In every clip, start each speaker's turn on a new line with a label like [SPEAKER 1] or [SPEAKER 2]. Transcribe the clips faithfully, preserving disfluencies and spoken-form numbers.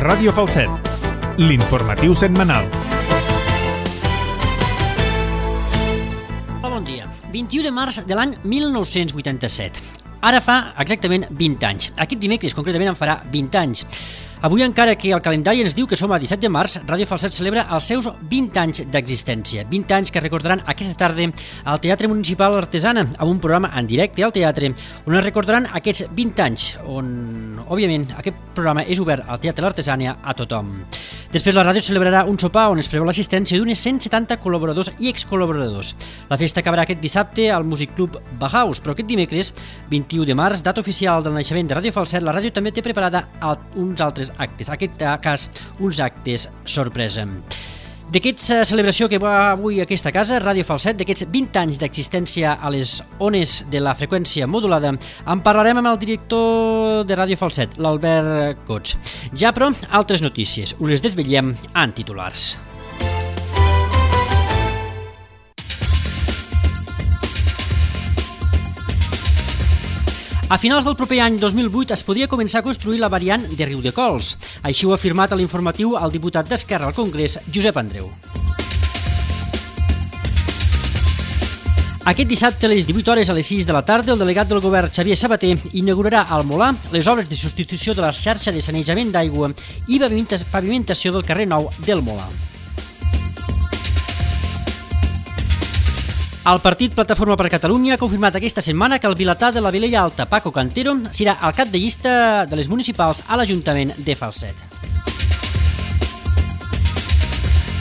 [SPEAKER 1] Ràdio Falset, l'informatiu setmanal.
[SPEAKER 2] Bon dia. vint-i-u de març de l'any mil nou-cents vuitanta-set. Ara fa exactament vint anys. Aquest dimecres, concretament, en farà vint anys. Avui, encara que el calendari ens diu que som a disset de març, Ràdio Falset celebra els seus vint anys d'existència. vint anys que recordaran aquesta tarda al Teatre Municipal Artesana, amb un programa en directe al teatre, on es recordaran aquests vint anys, on, òbviament, aquest programa és obert al Teatre L'Artesana a tothom. Després, la ràdio celebrarà un sopar on es preveu l'assistència d'unes cent setanta col·laboradors i excol·laboradors. La festa acabarà aquest dissabte al Music Club Bauhaus, però aquest dimecres, vint-i-u de març, data oficial del naixement de Ràdio Falset, la ràdio també té preparada uns altres actes, en aquest cas, uns actes sorpresa. D'aquesta celebració que va avui a aquesta casa, Ràdio Falset, d'aquests vint anys d'existència a les ones de la freqüència modulada, en parlarem amb el director de Ràdio Falset, l'Albert Cots. Ja, però, altres notícies. Us les desvetllem en titulars. A finals del proper any dos mil vuit es podria començar a construir la variant de Riudecols. Així ho ha afirmat a l'informatiu el diputat d'Esquerra al Congrés, Josep Andreu. Aquest dissabte a les divuit hores a les sis de la tarda, el delegat del govern Xavier Sabater inaugurarà al Molar les obres de substitució de la xarxa de sanejament d'aigua i pavimentació del carrer Nou del Molar. El partit Plataforma per Catalunya ha confirmat aquesta setmana que el vilatà de la Vilella Alta, Paco Cantero, serà el cap de llista de les municipals a l'Ajuntament de Falset.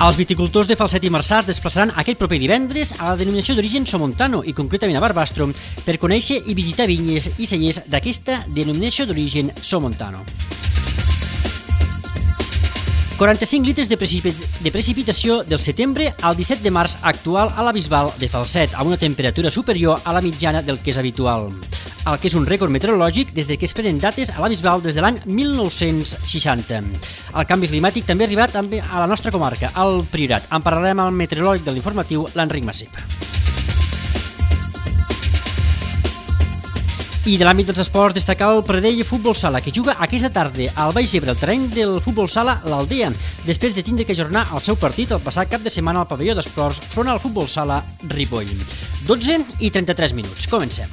[SPEAKER 2] Els viticultors de Falset i Marçà es desplaçaran aquest proper divendres a la denominació d'origen Somontano i concretament a Barbastro per conèixer i visitar vinyes i cellers d'aquesta denominació d'origen Somontano. quaranta-cinc litres de, precipit de precipitació del setembre al disset de març actual a la Bisbal de Falset, amb una temperatura superior a la mitjana del que és habitual, el que és un rècord meteorològic des de que es prenen dates a la Bisbal des de l'any mil nou-cents seixanta. El canvi climàtic també ha arribat també a la nostra comarca, al Priorat. En parlarem amb el meteoròleg de l'informatiu, l'Enric Massip. I de l'àmbit dels esports, destacar el Pradell Futbol Sala, que juga aquesta tarda al Baix Ebre, el terreny del Futbol Sala l'Aldea, després de tindre que ajornar el seu partit el passat cap de setmana al pavelló d'esports front al Futbol Sala Ripoll. dotze i trenta-tres minuts. Comencem.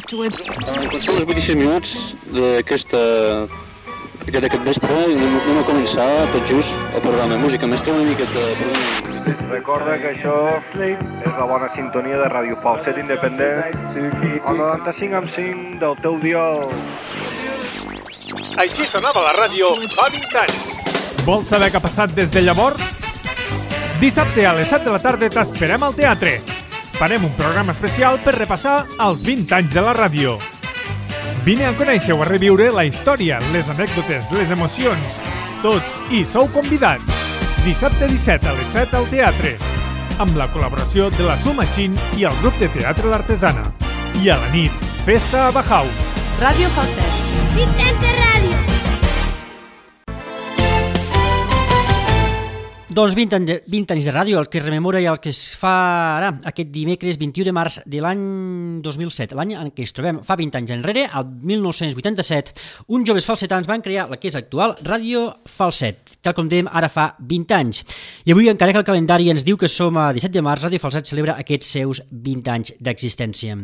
[SPEAKER 3] Són els vuitanta-sis minuts d'aquesta d'aquest vespre i anem a començar tot just el programa Música Mestra, una miqueta.
[SPEAKER 4] Recorda que això és la bona sintonia de Ràdio Falset Independent, el noranta-cinc coma cinc del teu dial.
[SPEAKER 1] Així sonava la ràdio fa vint anys. Vols saber què ha passat des de llavors? Dissabte a les set de la tarda t'esperem al teatre. Farem un programa especial per repassar els vint anys de la ràdio. Vine a conèixer o a reviure la història, les anècdotes, les emocions. Tots hi sou convidats. Dissabte disset a les set al teatre, amb la col·laboració de la Sumachin i el grup de teatre L'Artesana. I a la nit, festa a Bauhaus.
[SPEAKER 5] Ràdio Falset. Vint anys de ràdio.
[SPEAKER 2] Doncs vint anys de ràdio, el que rememora i el que es fa ara, aquest dimecres vint-i-u de març de l'any dos mil set, l'any en què es trobem fa vint anys enrere, el mil nou-cents vuitanta-set, uns joves falsetans van crear la que és actual Ràdio Falset, tal com dèiem, ara fa vint anys. I avui, encara que el calendari ens diu que som a disset de març, Ràdio Falset celebra aquests seus vint anys d'existència.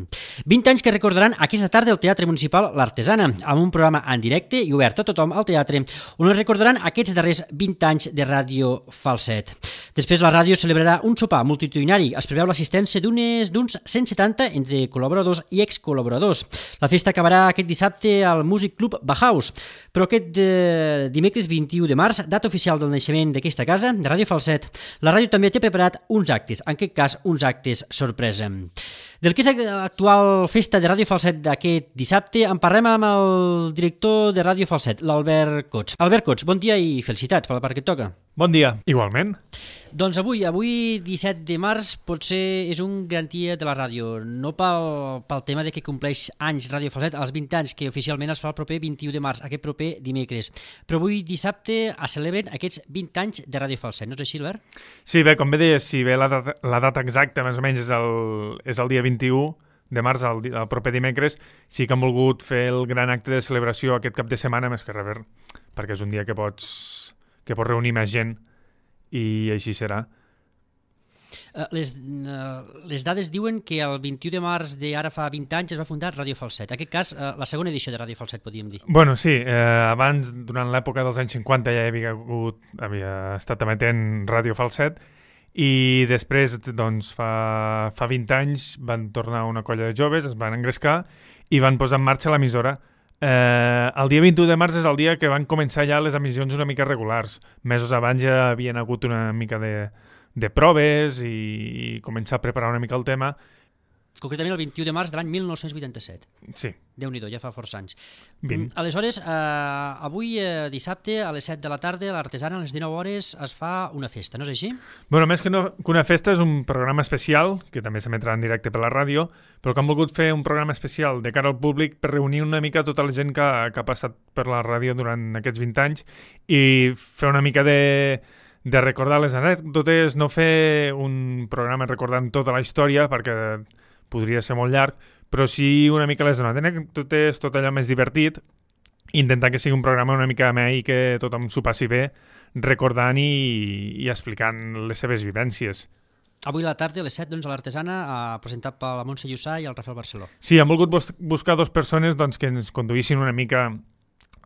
[SPEAKER 2] vint anys que recordaran aquesta tarda al Teatre Municipal L'Artesana, amb un programa en directe i obert a tothom al teatre, on es recordaran aquests darrers vint anys de Ràdio Falset. Després la ràdio celebrarà un sopar multitudinari. Es preveu l'assistència d'uns cent setanta entre col·laboradors i excol·laboradors. La festa acabarà aquest dissabte al Music Club Bauhaus, però aquest eh, dimecres vint-i-u de març, data oficial del naixement d'aquesta casa, de Ràdio Falset, la ràdio també té preparat uns actes, en aquest cas uns actes sorpresa. Del que és l'actual festa de Ràdio Falset d'aquest dissabte, en parlem amb el director de Ràdio Falset, l'Albert Cots. Albert Cots, bon dia i felicitats per la part que et toca.
[SPEAKER 1] Bon dia, igualment.
[SPEAKER 2] Doncs avui, avui disset de març, potser és un gran dia de la ràdio, no pel, pel tema de que compleix anys Ràdio Falset, els vint anys, que oficialment es fa el proper vint-i-u de març, aquest proper dimecres. Però avui dissabte es celebren aquests vint anys de Ràdio Falset, no és així, Albert?
[SPEAKER 1] Sí, bé, com bé deies, si bé la data, la data exacta més o menys és el, és el dia vint-i-u, de març, el, el proper dimecres, sí que han volgut fer el gran acte de celebració aquest cap de setmana, més que res, perquè és un dia que pots, que pots reunir més gent i així serà.
[SPEAKER 2] Uh, les, uh, les dades diuen que el vint-i-u de març d'ara fa vint anys es va fundar Ràdio Falset. En aquest cas, uh, la segona edició de Ràdio Falset, podríem dir.
[SPEAKER 1] Bueno, sí. Eh, abans, durant l'època dels anys cinquanta, ja havia, hagut, havia estat emetent Ràdio Falset i després, doncs, fa, fa vint anys van tornar una colla de joves, es van engrescar i van posar en marxa l'emissora. Eh, el dia vint-i-u de març és el dia que van començar ja les emissions una mica regulars. Mesos abans ja havien hagut una mica de... de proves i començar a preparar una mica el tema.
[SPEAKER 2] Concretament el vint-i-u de març de l'any mil nou-cents vuitanta-set.
[SPEAKER 1] Sí.
[SPEAKER 2] Déu-n'hi-do, ja fa força anys.
[SPEAKER 1] vint.
[SPEAKER 2] Aleshores, eh, avui, eh, dissabte, a les set de la tarda, a l'Artesana, a les dinou hores, es fa una festa, no és així?
[SPEAKER 1] Bueno, més que, no, que una festa és un programa especial, que també s'emetrà en directe per la ràdio, però que han volgut fer un programa especial de cara al públic per reunir una mica tota la gent que, que ha passat per la ràdio durant aquests vint anys i fer una mica de... de recordar les anècdotes, no fer un programa recordant tota la història, perquè podria ser molt llarg, però sí una mica les anècdotes, tot allò més divertit, intentar que sigui un programa una mica amè i que tothom s'ho passi bé, recordant i, i explicant les seves vivències.
[SPEAKER 2] Avui a la tarda, a les set, doncs, a l'Artesana, eh, presentat per la Montse Llussà i el Rafael Barceló.
[SPEAKER 1] Sí, han volgut bus buscar dues persones doncs, que ens conduïssin una mica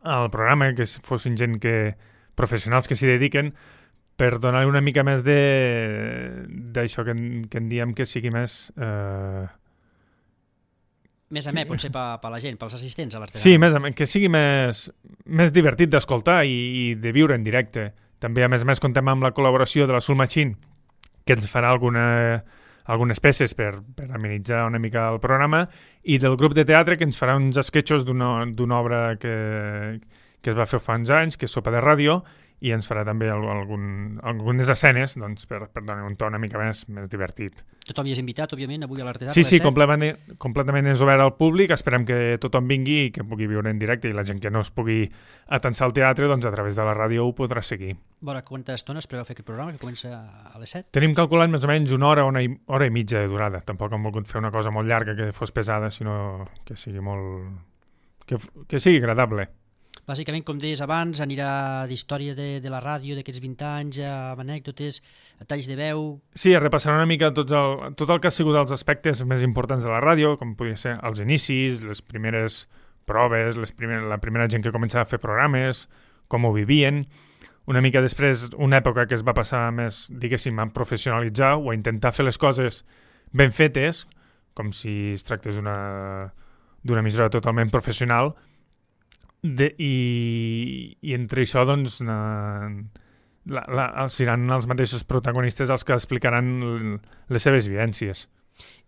[SPEAKER 1] al programa, que fossin gent que professionals que s'hi dediquen, per donar una mica més d'això que, que en diem que sigui més... Eh...
[SPEAKER 2] Més amè, potser per, per la gent, pels assistents a l'Artesana.
[SPEAKER 1] Sí, més amè, que sigui més, més divertit d'escoltar i, i de viure en directe. També, a més a més, contem amb la col·laboració de la Soul Machine, que ens farà alguna, algunes peces per, per amenitzar una mica el programa, i del grup de teatre, que ens farà uns esquetxos d'una obra que, que es va fer fa uns anys, que és Sopa de Ràdio, i ens farà també algun, algunes escenes doncs, per, per donar un to una mica més, més divertit.
[SPEAKER 2] Tothom hi és invitat, òbviament, avui a l'Artesana.
[SPEAKER 1] Sí, sí, completament, completament és obert al públic. Esperem que tothom vingui i que pugui viure en directe, i la gent que no es pugui atensar al teatre, doncs a través de la ràdio ho podrà seguir.
[SPEAKER 2] Bona, quanta estona es preveu fer aquest programa, que comença a les set?
[SPEAKER 1] Tenim calculat més o menys una hora, una i, hora i mitja de durada. Tampoc hem volgut fer una cosa molt llarga que fos pesada, sinó que sigui molt... que, que sigui agradable.
[SPEAKER 2] Bàsicament, com deies abans, anirà d'història de, de la ràdio d'aquests vint anys, amb anècdotes, talls de veu... Sí,
[SPEAKER 1] repassarà una mica tot el, tot el que ha sigut els aspectes més importants de la ràdio, com podria ser els inicis, les primeres proves, les primer, la primera gent que començava a fer programes, com ho vivien. Una mica després, una època que es va passar més, diguéssim, a professionalitzar o a intentar fer les coses ben fetes, com si es tractés d'una d'una emissora totalment professional, De, i, i entre això doncs na, la, la, seran els mateixos protagonistes els que explicaran les seves vivències.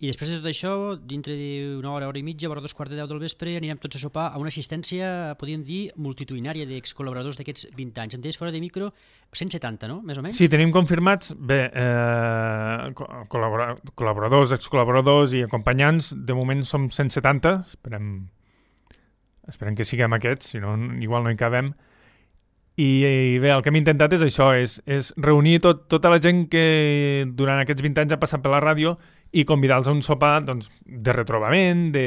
[SPEAKER 2] I després de tot això, dintre d'una hora, hora i mitja, vora dos quarts de deu del vespre, anirem tots a sopar a una assistència, podríem dir, multitudinària d'excol·laboradors d'aquests vint anys. Em deies fora de micro cent setanta, no? Més o menys?
[SPEAKER 1] Sí, tenim confirmats, bé, eh, col·laboradors, excol·laboradors i acompanyants. De moment som cent setanta, esperem... Esperem que siguem aquests, si no, igual no hi cabem. I, i bé, el que hem intentat és això, és, és reunir tot, tota la gent que durant aquests vint anys ha passat per la ràdio i convidar-los a un sopar doncs, de retrobament, de,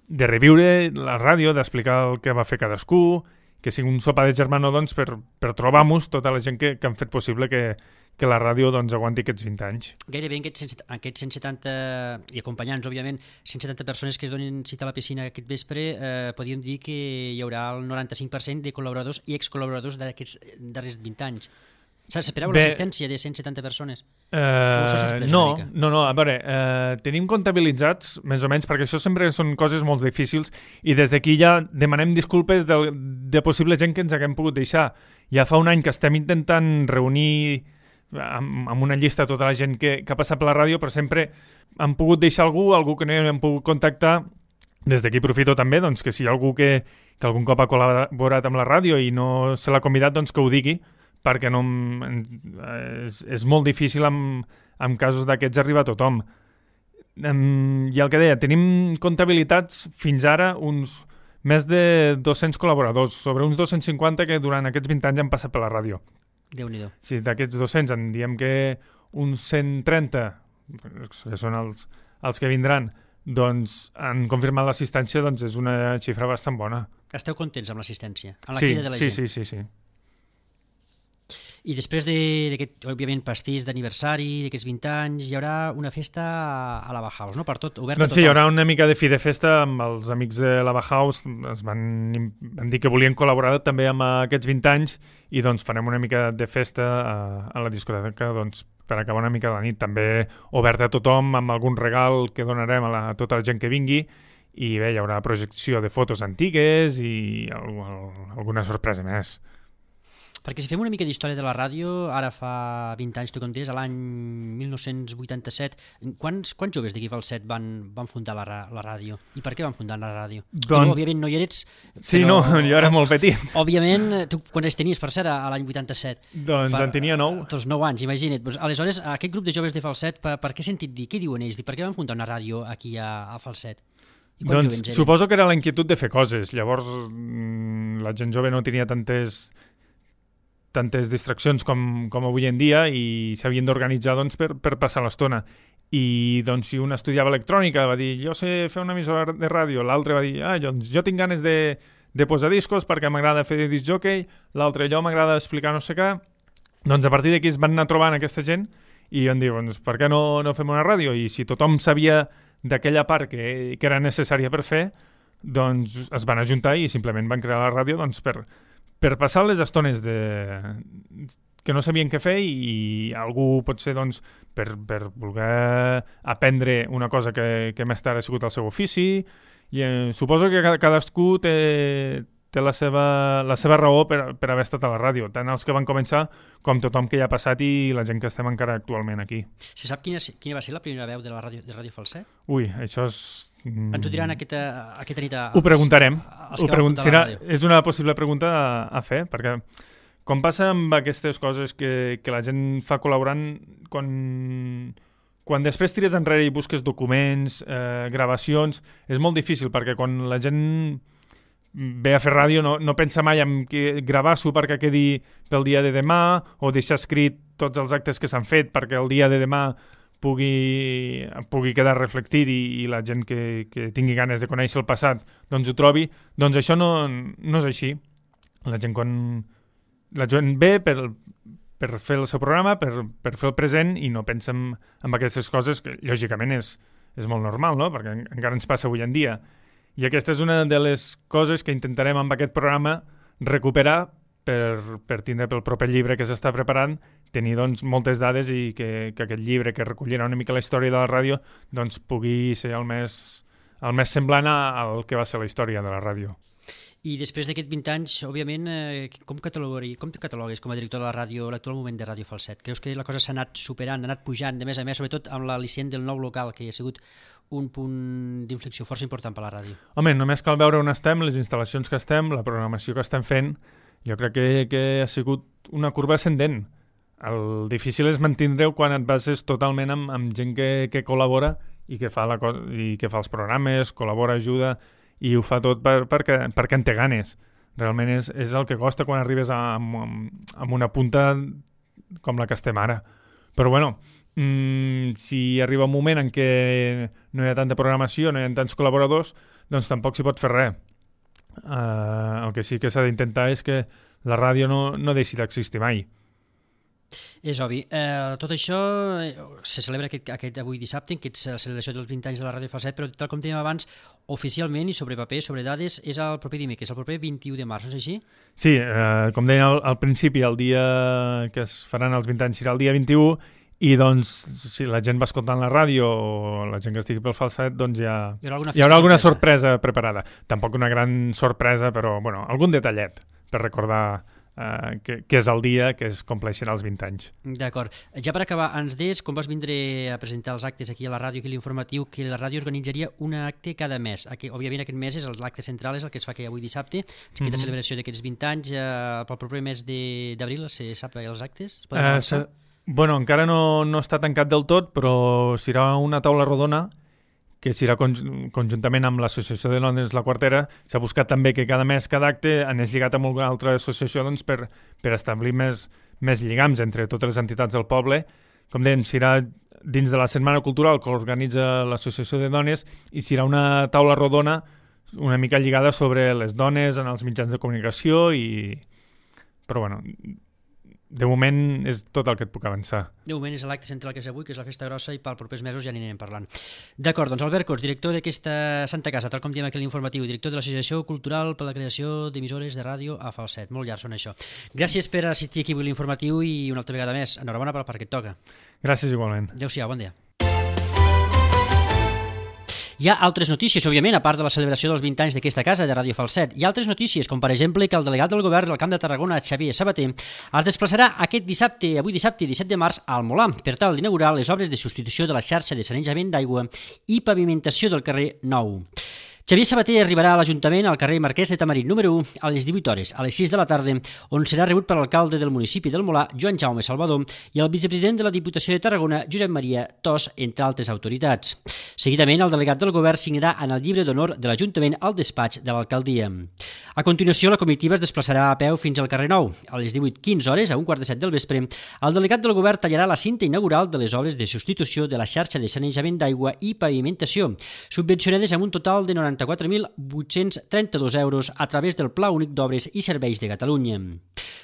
[SPEAKER 1] de reviure la ràdio, d'explicar el que va fer cadascú, que sigui un sopar de germano doncs, per, per trobar-nos tota la gent que, que han fet possible que, que la ràdio doncs, aguanti aquests vint anys.
[SPEAKER 2] Gairebé en aquests, aquests cent setanta, i acompanyants, òbviament, cent setanta persones que es donen cita a la piscina aquest vespre, eh, podríem dir que hi haurà el noranta-cinc per cent de col·laboradors i excol·laboradors d'aquests darrers vint anys. S'esperava l'assistència de cent setanta persones?
[SPEAKER 1] Uh, no, no, no, a veure, uh, tenim comptabilitzats, més o menys, perquè això sempre són coses molt difícils, i des d'aquí ja demanem disculpes de, de possible gent que ens haguem pogut deixar. Ja fa un any que estem intentant reunir amb, amb una llista tota la gent que, que ha passat per la ràdio, però sempre han pogut deixar algú, algú que no hem pogut contactar. Des d'aquí aprofito també doncs, que si hi ha algú que, que algun cop ha col·laborat amb la ràdio i no se l'ha convidat, doncs que ho digui, perquè no, és, és molt difícil en, en casos d'aquests arribar a tothom. Um, I el que deia, tenim comptabilitats fins ara uns més de dos-cents col·laboradors, sobre uns dos-cents cinquanta que durant aquests vint anys han passat per la ràdio.
[SPEAKER 2] Déu-n'hi-do.
[SPEAKER 1] Si d'aquests dos-cents en diem que uns cent trenta, que són els, els que vindran doncs, han confirmat l'assistència, doncs és una xifra bastant bona.
[SPEAKER 2] Esteu contents amb l'assistència? Amb la
[SPEAKER 1] sí,
[SPEAKER 2] crida de la
[SPEAKER 1] sí,
[SPEAKER 2] gent?
[SPEAKER 1] sí, sí, sí.
[SPEAKER 2] I després d'aquest, òbviament, pastís d'aniversari, d'aquests vint anys, hi haurà una festa a la Bauhaus, no? Per tot, oberta
[SPEAKER 1] doncs
[SPEAKER 2] a tothom.
[SPEAKER 1] sí, hi haurà una mica de fi de festa amb els amics de la Bauhaus, es van, van dir que volien col·laborar també amb aquests vint anys i doncs farem una mica de festa a, a la discoteca doncs, per acabar una mica la nit. També oberta a tothom amb algun regal que donarem a, la, a tota la gent que vingui i bé, hi haurà projecció de fotos antigues i alguna sorpresa més.
[SPEAKER 2] Perquè si fem una mica d'història de la ràdio, ara fa vint anys, tu contés, a l'any mil nou-cents vuitanta-set, quants, quants joves d'aquí Falset van, van fundar la, la ràdio? I per què van fundar la ràdio?
[SPEAKER 1] Doncs...
[SPEAKER 2] Tu, òbviament no hi eres...
[SPEAKER 1] Sí,
[SPEAKER 2] però,
[SPEAKER 1] no, jo era molt petit.
[SPEAKER 2] Òbviament, tu quants anys tenies, per cert, a l'any vuitanta-set?
[SPEAKER 1] Doncs per, en tenia nou.
[SPEAKER 2] Doncs nou anys, imagina't. Doncs, aleshores, aquest grup de joves de Falset, per, per què he sentit dir? Què diuen ells? Per què van fundar una ràdio aquí a, a Falset?
[SPEAKER 1] Doncs suposo que era la inquietud de fer coses. Llavors, la gent jove no tenia tantes... tantes distraccions com, com avui en dia i s'havien d'organitzar doncs, per, per passar l'estona. I doncs, si un estudiava electrònica va dir, jo sé fer una emissora de ràdio, l'altre va dir, ah, doncs, jo tinc ganes de, de posar discos perquè m'agrada fer disc jockey, l'altre jo m'agrada explicar no sé què. Doncs a partir d'aquí es van anar trobant aquesta gent i van dir, doncs, per què no, no fem una ràdio? I si tothom sabia d'aquella part que, que era necessària per fer, doncs es van ajuntar i simplement van crear la ràdio doncs, per... per passar les estones de... que no sabien què fer i algú potser doncs, per, per voler aprendre una cosa que, que més tard ha sigut el seu ofici i eh, suposo que cadascú té, té la, seva, la seva raó per, per haver estat a la ràdio, tant els que van començar com tothom que hi ha passat i la gent que estem encara actualment aquí.
[SPEAKER 2] Se sap quina, quina va ser la primera veu de la ràdio, de Ràdio Falset?
[SPEAKER 1] Ui, això és...
[SPEAKER 2] Ens ho diran aquesta, aquesta nit a...
[SPEAKER 1] Ho preguntarem.
[SPEAKER 2] Ho
[SPEAKER 1] pregun serà, és una possible pregunta a, a fer, perquè com passa amb aquestes coses que, que la gent fa col·laborant, quan, quan després tires enrere i busques documents, eh, gravacions, és molt difícil, perquè quan la gent ve a fer ràdio no, no pensa mai en que gravar-s'ho perquè quedi pel dia de demà o deixar escrit tots els actes que s'han fet perquè el dia de demà pugui, pugui quedar reflectit i, i la gent que, que tingui ganes de conèixer el passat doncs ho trobi, doncs això no, no és així. La gent quan la gent ve per, per fer el seu programa, per, per fer el present i no pensa en, en aquestes coses que lògicament és, és molt normal, no? Perquè encara ens passa avui en dia. I aquesta és una de les coses que intentarem amb aquest programa recuperar per, per tindre pel proper llibre que s'està preparant, tenir doncs, moltes dades i que, que aquest llibre que recollirà una mica la història de la ràdio doncs, pugui ser el més, el més semblant al que va ser la història de la ràdio.
[SPEAKER 2] I després d'aquests vint anys, òbviament, eh, com, catalogues, com te catalogues com a director de la ràdio l'actual moment de Ràdio Falset? Creus que la cosa s'ha anat superant, ha anat pujant, de més a més, sobretot amb l'al·licient del nou local, que ha sigut un punt d'inflexió força important per a la ràdio?
[SPEAKER 1] Home, només cal veure on estem, les instal·lacions que estem, la programació que estem fent. Jo crec que, que ha sigut una curva ascendent. El difícil és mantenir-ho quan et bases totalment amb, amb gent que, que col·labora i que, fa la cosa, i que fa els programes, col·labora, ajuda i ho fa tot per, perquè, perquè en té ganes. Realment és, és el que costa quan arribes a, amb, amb una punta com la que estem ara. Però bueno, mmm, si arriba un moment en què no hi ha tanta programació, no hi ha tants col·laboradors, doncs tampoc s'hi pot fer res. Uh, el que sí que s'ha d'intentar és que la ràdio no, no deixi d'existir mai.
[SPEAKER 2] És obvi. Eh, tot això eh, se celebra aquest, aquest avui dissabte, que és la celebració dels vint anys de la Ràdio Falset, però tal com dèiem abans, oficialment i sobre paper, sobre dades, és el proper dimecres, el proper vint-i-u de març, no és així?
[SPEAKER 1] Sí, eh, com deia al, al principi, el dia que es faran els vint anys serà el dia vint-i-u, i doncs si la gent va escoltant la ràdio o la gent que estigui pel Falset, doncs ja hi haurà alguna, hi haurà alguna sorpresa. sorpresa preparada. Tampoc una gran sorpresa, però bueno, algun detallet per recordar uh, que, que és el dia que es compleixen els vint anys.
[SPEAKER 2] D'acord. Ja per acabar, ens deies, com vas vindre a presentar els actes aquí a la ràdio, aquí a l'informatiu, que la ràdio organitzaria un acte cada mes. Aquí, òbviament aquest mes és l'acte central, és el que es fa aquí avui dissabte, aquesta mm-hmm. celebració d'aquests vint anys, eh, pel proper mes d'abril se sap els actes?
[SPEAKER 1] Uh, se... Bueno, encara no, no està tancat del tot, però serà una taula rodona que serà conj conjuntament amb l'Associació de Dones La Quartera. S'ha buscat també que cada mes, cada acte, anés lligat amb alguna altra associació doncs, per, per establir més, més lligams entre totes les entitats del poble com dèiem, serà dins de la Setmana Cultural que organitza l'Associació de Dones i serà una taula rodona una mica lligada sobre les dones en els mitjans de comunicació i... Però, bueno, de moment és tot el que et puc avançar.
[SPEAKER 2] De moment és l'acte central que és avui, que és la festa grossa, i pels propers mesos ja n'anem parlant. D'acord, doncs Albert Cots, director d'aquesta Santa Casa, tal com diem aquí a l'informatiu, director de l'Associació Cultural per la creació d'emissores de ràdio a falset. Molt llarg són això. Gràcies per assistir aquí a l'informatiu i una altra vegada més. Enhorabona pel que et toca.
[SPEAKER 1] Gràcies igualment.
[SPEAKER 2] Adéu-siau, bon dia. Hi ha altres notícies, òbviament, a part de la celebració dels vint anys d'aquesta casa de Ràdio Falset. Hi ha altres notícies, com per exemple que el delegat del govern del Camp de Tarragona, Xavier Sabater, es desplaçarà aquest dissabte, avui dissabte, disset de març, al Molar, per tal d'inaugurar les obres de substitució de la xarxa de sanejament d'aigua i pavimentació del carrer Nou. Xavier Sabater arribarà a l'Ajuntament al carrer Marquès de Tamarit número u a les divuit hores, a les sis de la tarda, on serà rebut per l'alcalde del municipi del Molar, Joan Jaume Salvador, i el vicepresident de la Diputació de Tarragona, Josep Maria Tos, entre altres autoritats. Seguidament, el delegat del govern signarà en el llibre d'honor de l'Ajuntament al despatx de l'alcaldia. A continuació, la comitiva es desplaçarà a peu fins al carrer Nou. A les divuit quinze hores, a un quart de set del vespre, el delegat del govern tallarà la cinta inaugural de les obres de substitució de la xarxa de sanejament d'aigua i pavimentació, subvencionades amb un total de noranta-quatre mil vuit-cents trenta-dos euros a través del Pla Únic d'Obres i Serveis de Catalunya.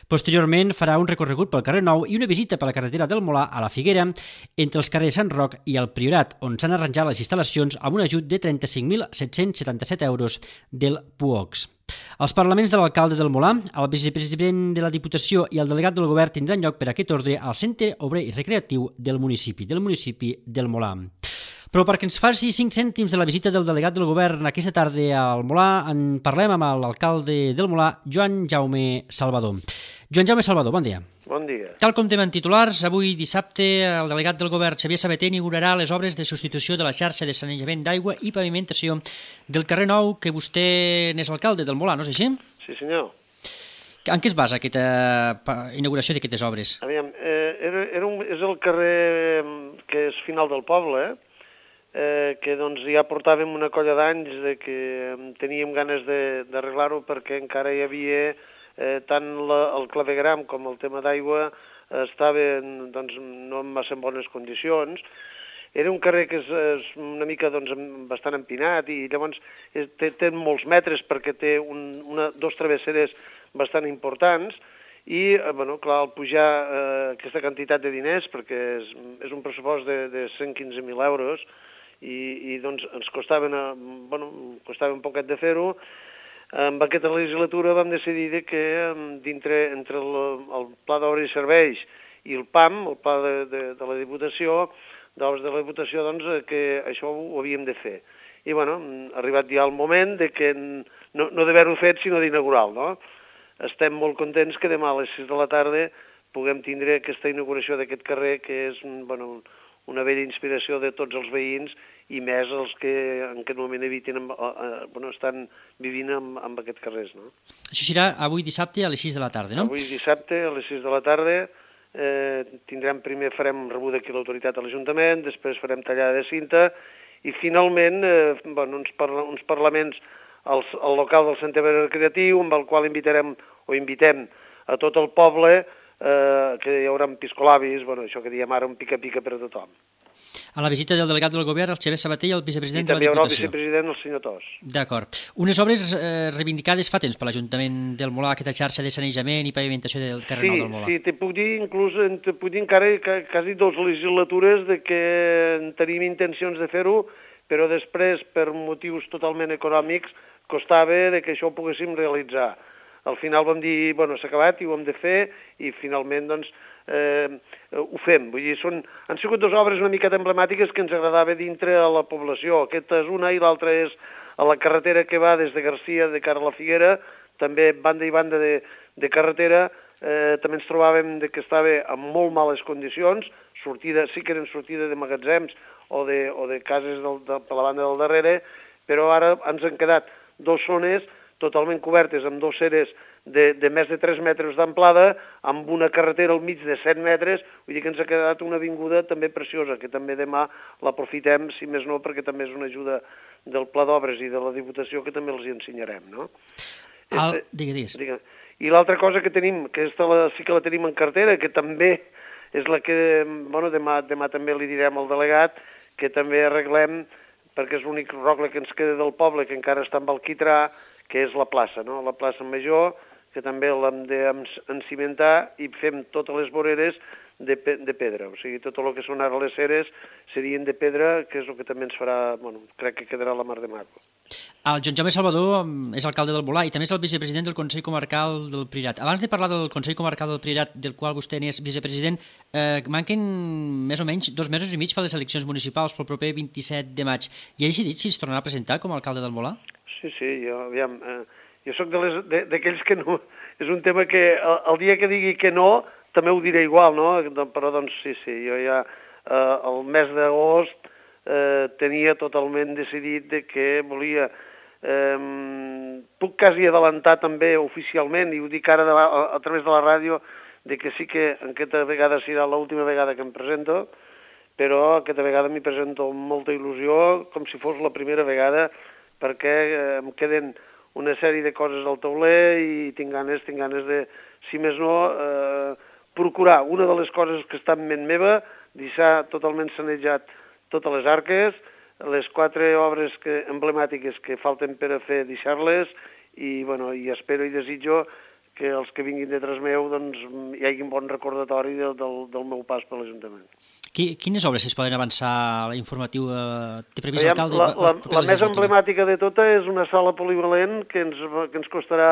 [SPEAKER 2] Posteriorment, farà un recorregut pel carrer Nou i una visita per la carretera del Molar a la Figuera, entre els carrers Sant Roc i el Priorat, on s'han arranjat les instal·lacions amb un ajut de trenta-cinc mil set-cents setanta-set euros del P U O X. Els parlaments de l'alcalde del Molar, el vicepresident de la Diputació i el delegat del govern tindran lloc per aquest ordre al Centre Obrer i Recreatiu del municipi, del municipi del Molar. Però perquè ens faci cinc cèntims de la visita del delegat del govern aquesta tarda al Molar, en parlem amb l'alcalde del Molar, Joan Jaume Salvador. Joan Jaume Salvador, bon dia.
[SPEAKER 6] Bon dia.
[SPEAKER 2] Tal com temen titulars, avui dissabte el delegat del govern, Xavier Sabater, inaugurarà les obres de substitució de la xarxa de sanejament d'aigua i pavimentació del carrer Nou, que vostè n'és l'alcalde del Molar, no és així?
[SPEAKER 6] Sí, senyor.
[SPEAKER 2] En què es basa aquesta inauguració d'aquestes obres?
[SPEAKER 6] Aviam, eh, era, era un, és el carrer que és final del poble, eh? Eh, que doncs ja portàvem una colla d'anys de que teníem ganes d'arreglar-ho perquè encara hi havia eh, tant la, el clavegram com el tema d'aigua eh, estaven doncs, no en massa bones condicions. Era un carrer que és, és una mica doncs, bastant empinat i llavors és, té, té molts metres perquè té un, una, dos travesseres bastant importants i, eh, bueno, clar, al pujar eh, aquesta quantitat de diners, perquè és, és un pressupost de, de cent quinze mil euros, i, i doncs ens costava, una, bueno, costava un poquet de fer-ho. En aquesta legislatura vam decidir que dintre, entre el, el Pla d'Obres i Serveis i el P A M, el Pla de, de, de la Diputació, d'Obres de la Diputació, doncs, que això ho havíem de fer. I, bueno, ha arribat ja el moment de que no, no d'haver-ho fet, sinó d'inaugurar-lo, no? Estem molt contents que demà a les sis de la tarda puguem tindre aquesta inauguració d'aquest carrer, que és, bueno, una vella inspiració de tots els veïns i més els que en aquest moment eviten, eh, bueno, estan vivint amb, amb aquests carrers. No?
[SPEAKER 2] Això serà avui dissabte a les sis de la tarda, no?
[SPEAKER 6] Avui dissabte a les sis de la tarda eh, tindrem, primer farem rebuda aquí l'autoritat a l'Ajuntament, després farem tallada de cinta i finalment eh, bueno, uns, parla, uns parlaments al, al local del Centre Recreatiu, amb el qual invitarem o invitem a tot el poble, Eh, que hi haurà piscolabis, bueno, això que diem ara un pica-pica per a tothom.
[SPEAKER 2] A la visita del delegat del govern, el Xavier Sabater i el vicepresident
[SPEAKER 6] I
[SPEAKER 2] de la Diputació.
[SPEAKER 6] I també hi haurà el vicepresident, el senyor Tos.
[SPEAKER 2] D'acord. Unes obres eh, reivindicades fa temps per l'Ajuntament del Molar, aquesta xarxa de sanejament i pavimentació del carrer
[SPEAKER 6] sí,
[SPEAKER 2] Nou del Molar.
[SPEAKER 6] Sí, te puc dir, inclús, te puc dir encara quasi dues legislatures de que tenim intencions de fer-ho, però després, per motius totalment econòmics, costava de que això ho poguéssim realitzar. Al final vam dir, bueno, s'ha acabat i ho hem de fer i finalment, doncs, eh, ho fem. Vull dir, són, han sigut dues obres una miqueta emblemàtiques que ens agradava dintre a la població. Aquesta és una i l'altra és a la carretera que va des de Garcia de cara a la Figuera, també banda i banda de, de carretera, eh, també ens trobàvem de que estava en molt males condicions, sortida, sí que eren sortida de magatzems o de, o de cases del, de, per la banda del darrere, però ara ens han quedat dues zones totalment cobertes amb dos ceres de, de més de tres metres d'amplada, amb una carretera al mig de set metres, vull dir que ens ha quedat una avinguda també preciosa, que també demà l'aprofitem, si més no, perquè també és una ajuda del Pla d'Obres i de la Diputació que també els hi ensenyarem, no?
[SPEAKER 2] Al... Digue, digues.
[SPEAKER 6] Digue. I l'altra cosa que tenim, que aquesta la, sí que la tenim en cartera, que també és la que, bueno, demà, demà també li direm al delegat que també arreglem, perquè és l'únic rogle que ens queda del poble, que encara està amb el quitrà, que és la plaça, no? La plaça Major, que també l'hem d'encimentar i fem totes les voreres de, pe de pedra. O sigui, tot el que són ara les ceres serien de pedra, que és el que també ens farà, bueno, crec que quedarà la mar de maco.
[SPEAKER 2] El Joan Jaume Salvador és alcalde del Volà i també és el vicepresident del Consell Comarcal del Priorat. Abans de parlar del Consell Comarcal del Priorat, del qual vostè n'és vicepresident, eh, manquen més o menys dos mesos i mig per les eleccions municipals pel proper vint-i-set de maig. I ha decidit si es tornarà a presentar com a alcalde del Volà?
[SPEAKER 6] Sí, sí, jo, aviam, eh, jo soc d'aquells que no... És un tema que el, el dia que digui que no, també ho diré igual, no? Però doncs sí, sí, jo ja eh, el mes d'agost eh, tenia totalment decidit de que volia... Eh, puc quasi adelantar també oficialment, i ho dic ara de la, a, a través de la ràdio, de que sí que aquesta vegada serà l'última vegada que em presento, però aquesta vegada m'hi presento amb molta il·lusió, com si fos la primera vegada, perquè eh, em queden una sèrie de coses al tauler i tinc ganes, tinc ganes de, si més no, eh, procurar una de les coses que està en ment meva, deixar totalment sanejat totes les arques, les quatre obres que, emblemàtiques que falten per a fer, deixar-les, i, bueno, i espero i desitjo que els que vinguin detrás meu doncs, hi hagi un bon recordatori del, del, del meu pas per l'Ajuntament.
[SPEAKER 2] Quines obres es poden avançar a l'informatiu? Té previst l'alcalde?
[SPEAKER 6] La, la, la més emblemàtica de tota és una sala polivalent que ens, que ens costarà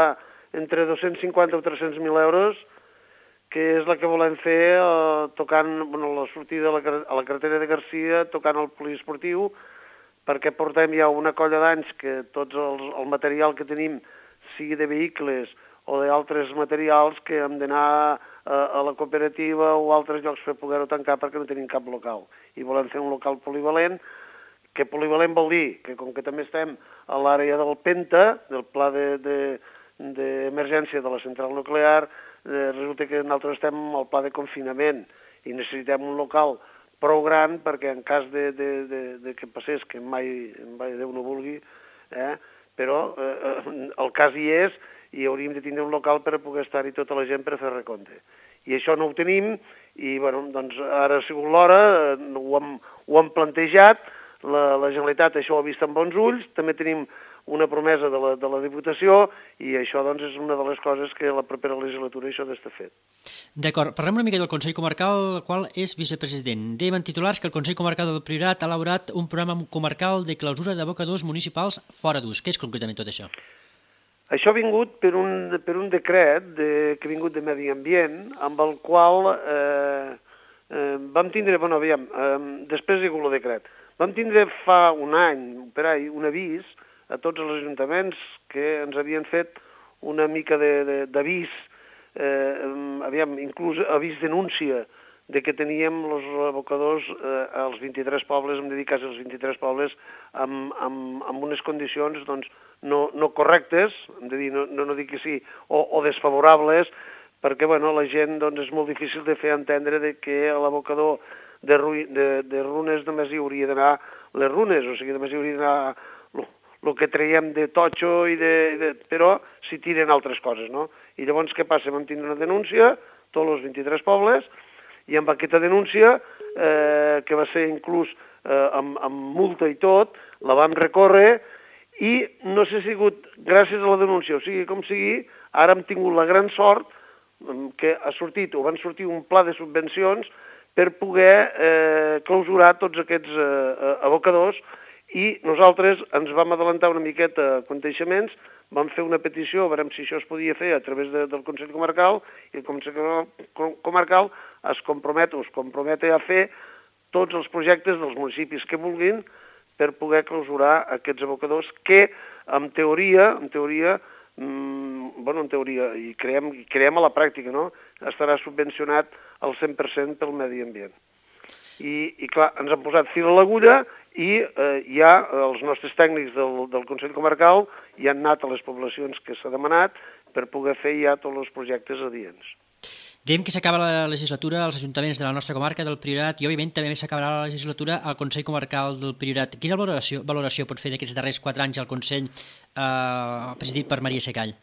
[SPEAKER 6] entre dos-cents cinquanta o tres-cents mil euros, que és la que volem fer eh, tocant, bueno, la sortida a la, a la carretera de Garcia, tocant el poliesportiu, perquè portem ja una colla d'anys que tots els, el material que tenim, sigui de vehicles o d'altres materials, que hem d'anar a, a la cooperativa o altres llocs per poder-ho tancar perquè no tenim cap local. I volem fer un local polivalent, que polivalent vol dir que com que també estem a l'àrea del Penta, del pla d'emergència de, de, de la central nuclear, eh, resulta que nosaltres estem al pla de confinament i necessitem un local prou gran perquè en cas de, de, de, de que passés, que mai, mai Déu no vulgui, eh, però eh, el cas hi és i hauríem de tindre un local per a poder estar-hi tota la gent per a fer recompte. I això no ho tenim i bueno, doncs ara ha sigut l'hora, ho, hem, ho hem plantejat, la, la Generalitat això ho ha vist amb bons ulls, també tenim una promesa de la, de la Diputació i això doncs, és una de les coses que la propera legislatura això ha d'estar fet.
[SPEAKER 2] D'acord, parlem una mica del Consell Comarcal, el qual és vicepresident. Dèiem en titulars que el Consell Comarcal del Priorat ha elaborat un programa comarcal de clausura d'abocadors municipals fora d'ús. Què és concretament tot això?
[SPEAKER 6] Això ha vingut per un, per un decret de, que ha vingut de Medi Ambient, amb el qual eh, eh, vam tindre, bueno, aviam, eh, després hi ha hagut el decret, vam tindre fa un any, per ahí, un avís a tots els ajuntaments que ens havien fet una mica d'avís, eh, aviam, inclús avís denúncia de que teníem els abocadors eh, als vint-i-tres pobles, hem de dir quasi als vint-i-tres pobles, amb, amb, amb unes condicions doncs, no, no correctes, hem de dir, no, no, no dic que sí, o, o desfavorables, perquè bueno, la gent doncs, és molt difícil de fer entendre de que a l'abocador de, de, de runes només hi hauria d'anar les runes, o sigui, només hi hauria d'anar el que traiem de totxo, i de, de, però s'hi tiren altres coses, no? I llavors què passa? Vam tindre una denúncia, tots els vint-i-tres pobles, i amb aquesta denúncia, eh, que va ser inclús eh, amb, amb multa i tot, la vam recórrer, i no s'ha sigut gràcies a la denúncia, o sigui, com sigui, ara hem tingut la gran sort que ha sortit, o van sortir un pla de subvencions per poder eh, clausurar tots aquests eh, abocadors, i nosaltres ens vam adelantar una miqueta coneixements, vam fer una petició, veurem si això es podia fer a través de, del Consell Comarcal, i el Consell Comarcal es compromet, es compromete a fer tots els projectes dels municipis que vulguin per poder clausurar aquests abocadors que, en teoria, en teoria, mmm, bueno, en teoria, i creiem, i creiem a la pràctica, no?, estarà subvencionat al cent per cent pel medi ambient. I, i clar, ens han posat fil a l'agulla i eh, ja els nostres tècnics del, del Consell Comarcal ja han anat a les poblacions que s'ha demanat per poder fer ja tots els projectes adients.
[SPEAKER 2] Dèiem que s'acaba la legislatura als ajuntaments de la nostra comarca del Priorat i, òbviament, també s'acabarà la legislatura al Consell Comarcal del Priorat. Quina valoració, valoració pot fer d'aquests darrers quatre anys al Consell eh, presidit per Maria Secall?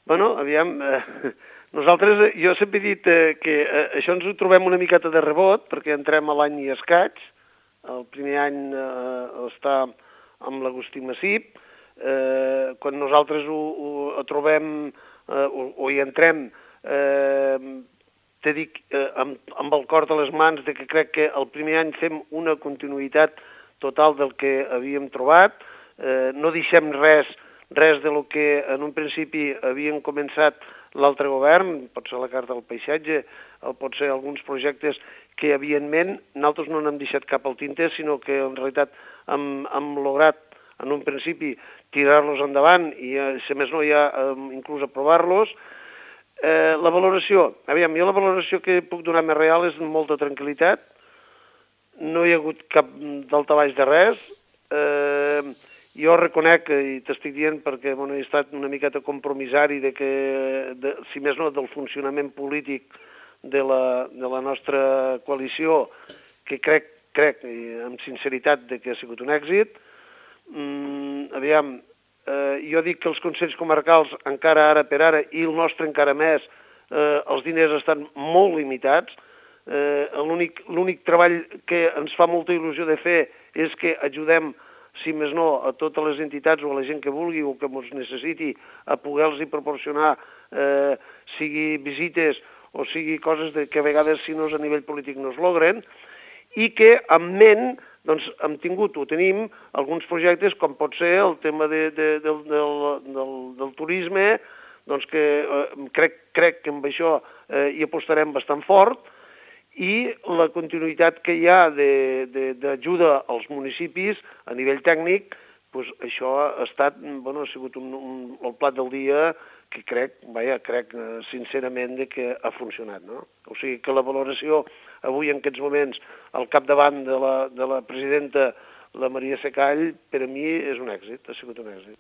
[SPEAKER 6] Bueno, aviam, eh, Nosaltres, jo sempre he dit eh, que eh, això ens ho trobem una miqueta de rebot, perquè entrem a l'any i escaig. El primer any eh, està amb l'Agustí Massip. Eh, quan nosaltres ho, ho trobem eh, o, o hi entrem, eh, t'he dit eh, amb, amb el cor a les mans de que crec que el primer any fem una continuïtat total del que havíem trobat. Eh, no deixem res, res de lo que en un principi havien començat l'altre govern, pot ser la Carta del Paisatge, o pot ser alguns projectes que, evidentment, nosaltres no n'hem deixat cap al tinter, sinó que, en realitat, hem, hem lograt, en un principi, tirar-los endavant i, si més no, ja inclús aprovar-los. Eh, la valoració, aviam, jo la valoració que puc donar més real és molta tranquil·litat. No hi ha hagut cap daltabaix de res. Eh, Jo reconec, i t'estic dient perquè bueno, he estat una miqueta compromissari de que, de, si més no, del funcionament polític de la, de la nostra coalició, que crec, crec amb sinceritat, de que ha sigut un èxit. Mm, aviam, eh, jo dic que els consells comarcals encara ara per ara, i el nostre encara més, eh, els diners estan molt limitats. Eh, l'únic, l'únic treball que ens fa molta il·lusió de fer és que ajudem, si més no, a totes les entitats o a la gent que vulgui o que ens necessiti, a poder-los proporcionar, eh, sigui visites o sigui coses de que a vegades, si no és a nivell polític, no es logren, i que en ment doncs, hem tingut o tenim alguns projectes com pot ser el tema de, de, del, del, del, del turisme, doncs que eh, crec, crec que amb això eh, hi apostarem bastant fort, i la continuïtat que hi ha d'ajuda als municipis a nivell tècnic, doncs això ha estat, bueno, ha sigut un, un, el plat del dia que crec, vaja, crec sincerament de que ha funcionat, no? O sigui que la valoració avui en aquests moments al capdavant de la, de la presidenta, la Maria Secall, per a mi és un èxit, ha sigut un èxit.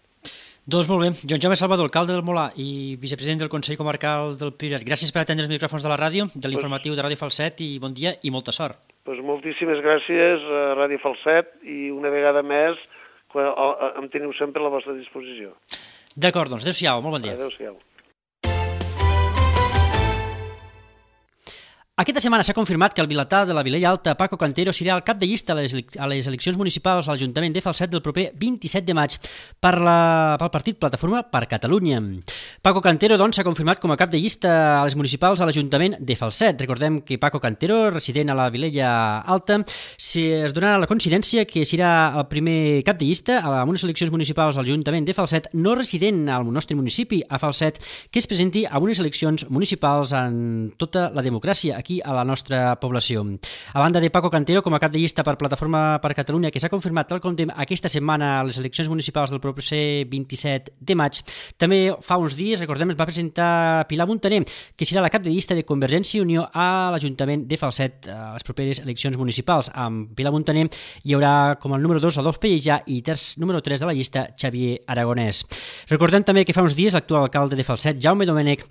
[SPEAKER 2] Doncs molt bé. Joan Jaume Salvador, alcalde del Molar i vicepresident del Consell Comarcal del Priorat, gràcies per atendre els micròfons de la ràdio, de l'informatiu de Ràdio Falset, i bon dia i molta sort.
[SPEAKER 6] Pues moltíssimes gràcies a Ràdio Falset i una vegada més em teniu sempre a la vostra disposició.
[SPEAKER 2] D'acord, doncs adéu-siau, molt bon dia.
[SPEAKER 6] Adéu-siau.
[SPEAKER 2] Aquesta setmana s'ha confirmat que el vilatà de la Vilella Alta, Paco Cantero, serà el cap de llista a les, a les eleccions municipals a l'Ajuntament de Falset del proper vint-i-set de maig per la, pel partit Plataforma per Catalunya. Paco Cantero, doncs, s'ha confirmat com a cap de llista a les municipals a l'Ajuntament de Falset. Recordem que Paco Cantero, resident a la Vilella Alta, es donarà la coincidència que serà el primer cap de llista a unes eleccions municipals a l'Ajuntament de Falset, no resident al nostre municipi, a Falset, que es presenti a unes eleccions municipals en tota la democràcia aquí a la nostra població. A banda de Paco Cantero com a cap de llista per Plataforma per Catalunya, que s'ha confirmat tal com aquesta setmana a les eleccions municipals del proper vint-i-set de maig, també fa uns dies, recordem, es va presentar Pilar Muntaner, que serà la cap de llista de Convergència i Unió a l'Ajuntament de Falset a les properes eleccions municipals. Amb Pilar Muntaner hi haurà com el número dos Adolf Pellejà i terç, número tres de la llista Xavier Aragonès. Recordem també que fa uns dies l'actual alcalde de Falset, Jaume Domènech,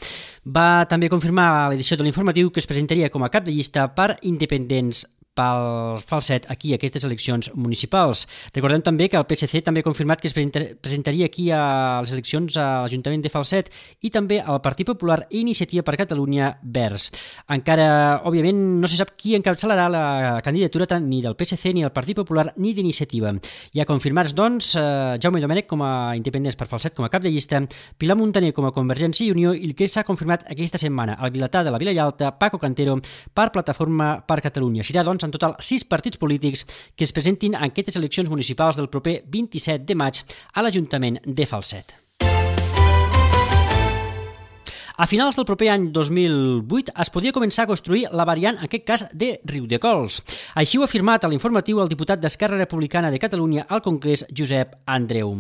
[SPEAKER 2] va també confirmar a l'edició de l'informatiu que es presentaria com a cap de llista per independents pel Falset aquí a aquestes eleccions municipals. Recordem també que el P S C també ha confirmat que es presentaria aquí a les eleccions a l'Ajuntament de Falset i també al Partit Popular i Iniciativa per Catalunya Verds. Encara, òbviament, no se sap qui encapçalarà la candidatura ni del P S C, ni del Partit Popular, ni d'Iniciativa. Ja confirmats, doncs, Jaume Domènech com a independents per Falset com a cap de llista, Pilar Muntaner com a Convergència i Unió i el que s'ha confirmat aquesta setmana, el vilatà de la Vilella Alta, Paco Cantero, per Plataforma per Catalunya. Serà, doncs, en total sis partits polítics que es presentin en aquestes eleccions municipals del proper vint-i-set de maig a l'Ajuntament de Falset. A finals del proper any dos mil vuit es podia començar a construir la variant, en aquest cas, de Riudecols. Així ho ha afirmat a l'informatiu el diputat d'Esquerra Republicana de Catalunya al Congrés, Josep Andreu.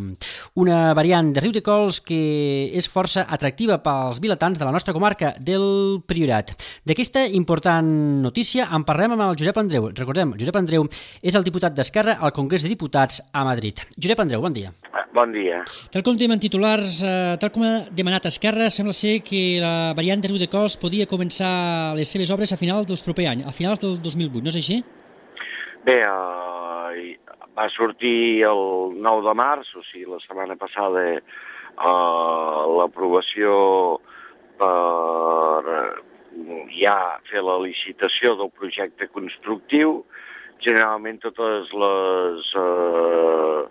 [SPEAKER 2] Una variant de Riudecols que és força atractiva pels vilatans de la nostra comarca del Priorat. D'aquesta important notícia en parlem amb el Josep Andreu. Recordem, Josep Andreu és el diputat d'Esquerra al Congrés de Diputats a Madrid. Josep Andreu, bon dia.
[SPEAKER 7] Bon dia.
[SPEAKER 2] Tal com tenim en titulars, eh, tal com ha demanat Esquerra, sembla ser que la variant de Riudecols podia començar les seves obres a finals del proper any, a finals del dos mil vuit, no és així?
[SPEAKER 7] Bé, eh, va sortir el nou de març, o sigui, la setmana passada, eh, l'aprovació per ja fer la licitació del projecte constructiu. Generalment totes les eh,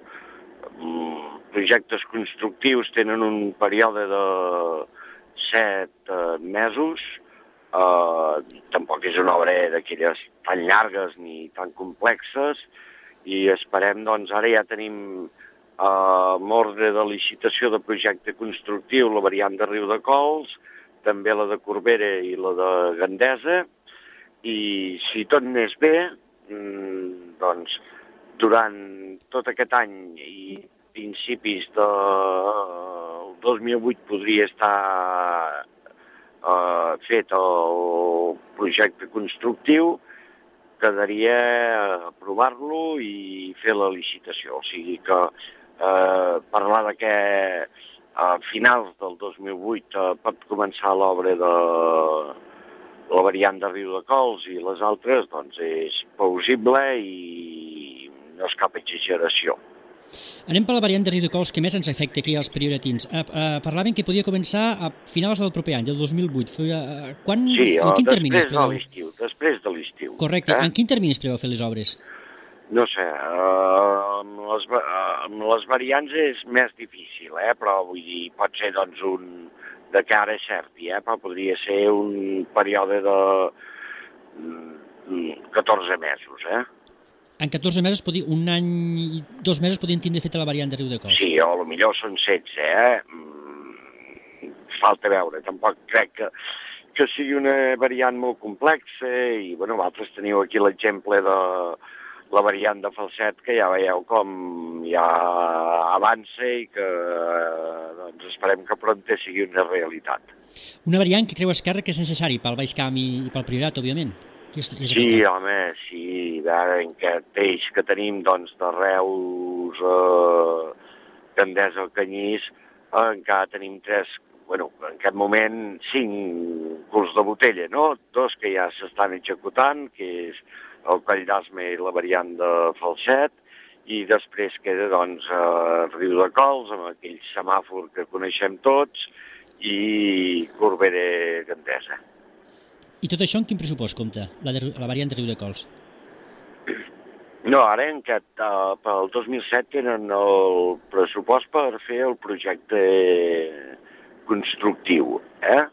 [SPEAKER 7] projectes constructius tenen un període de set eh, mesos. Uh, tampoc és una obra d'aquelles tan llargues ni tan complexes i esperem, doncs, ara ja tenim uh, amb ordre de licitació de projecte constructiu la variant de Riudecols, també la de Corbera i la de Gandesa, i si tot anés bé, mm, doncs, durant tot aquest any i principis del dos mil vuit podria estar Uh, fet el projecte constructiu, quedaria aprovar-lo i fer la licitació. O sigui que uh, parlar de que a finals del dos mil vuit uh, pot començar l'obra de la variant de Riudecols i les altres, doncs és plausible i no és cap exageració.
[SPEAKER 2] Anem per la variant de Riudecols que més ens afecta aquí als prioratins. Uh, uh, parlaven que podia començar a finals del proper any, del dos mil vuit. Uh, quan,
[SPEAKER 7] sí,
[SPEAKER 2] en quin termini
[SPEAKER 7] després de l'estiu. Després de l'estiu.
[SPEAKER 2] Correcte. Eh? En quin termini es preveu fer les obres?
[SPEAKER 7] No sé, uh, amb, les, uh, amb les variants és més difícil, eh? Però vull dir, pot ser doncs un de cara certi, eh? Però podria ser un període de mm, catorze mesos, eh?
[SPEAKER 2] En catorze mesos, dir, un any i dos mesos podien tindre feta la variant de Riudecols.
[SPEAKER 7] Sí, o potser són setze, eh? Mm, falta veure. Tampoc crec que, que sigui una variant molt complexa i, bueno, vosaltres teniu aquí l'exemple de la variant de Falset, que ja veieu com ja avança i que doncs, esperem que prompte sigui una realitat.
[SPEAKER 2] Una variant que creu Esquerra que és necessari pel Baix Camp i pel Priorat, òbviament.
[SPEAKER 7] Sí, home, sí, ara en aquest eix que tenim, doncs, de Reus, eh, Gandesa al Canyís, eh, encara tenim tres, bueno, en aquest moment, cinc culs de botella, no? Dos que ja s'estan executant, que és el Coll d'Asme i la variant de Falset, i després queda, doncs, eh, Riudecols, amb aquell semàfor que coneixem tots, i Corbera Gandesa.
[SPEAKER 2] I tot això en quin pressupost compta, la, de, la variant de Riudecols?
[SPEAKER 7] No, ara en aquest, uh, pel dos mil set tenen el pressupost per fer el projecte constructiu, eh?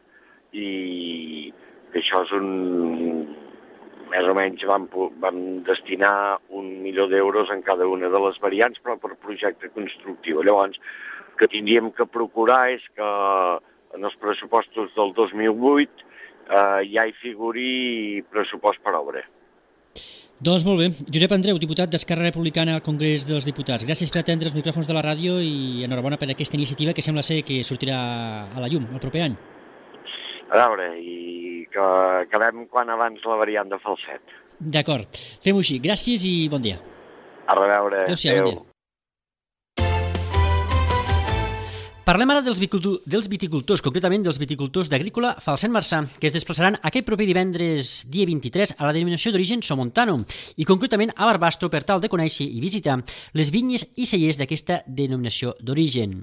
[SPEAKER 7] I que això és un... Més o menys vam, vam destinar un milió d'euros en cada una de les variants, però per projecte constructiu. Llavors, que tindríem que procurar és que en els pressupostos del dos mil vuit Uh, ja hi figuri pressupost per obra.
[SPEAKER 2] Doncs molt bé. Josep Andreu, diputat d'Esquerra Republicana al Congrés dels Diputats. Gràcies per atendre els micròfons de la ràdio i enhorabona per aquesta iniciativa que sembla ser que sortirà a la llum el proper any.
[SPEAKER 7] A veure, i que acabem quan abans la variant de Falset.
[SPEAKER 2] D'acord. Fem-ho així. Gràcies i bon dia.
[SPEAKER 7] A reveure.
[SPEAKER 2] Adéu-siau, bon dia. Parlem ara dels, dels viticultors, concretament dels viticultors d'Agrícola Falset Marçà, que es desplaçaran aquest proper divendres dia vint-i-tres a la denominació d'origen Somontano i concretament a Barbastro per tal de conèixer i visitar les vinyes i cellers d'aquesta denominació d'origen.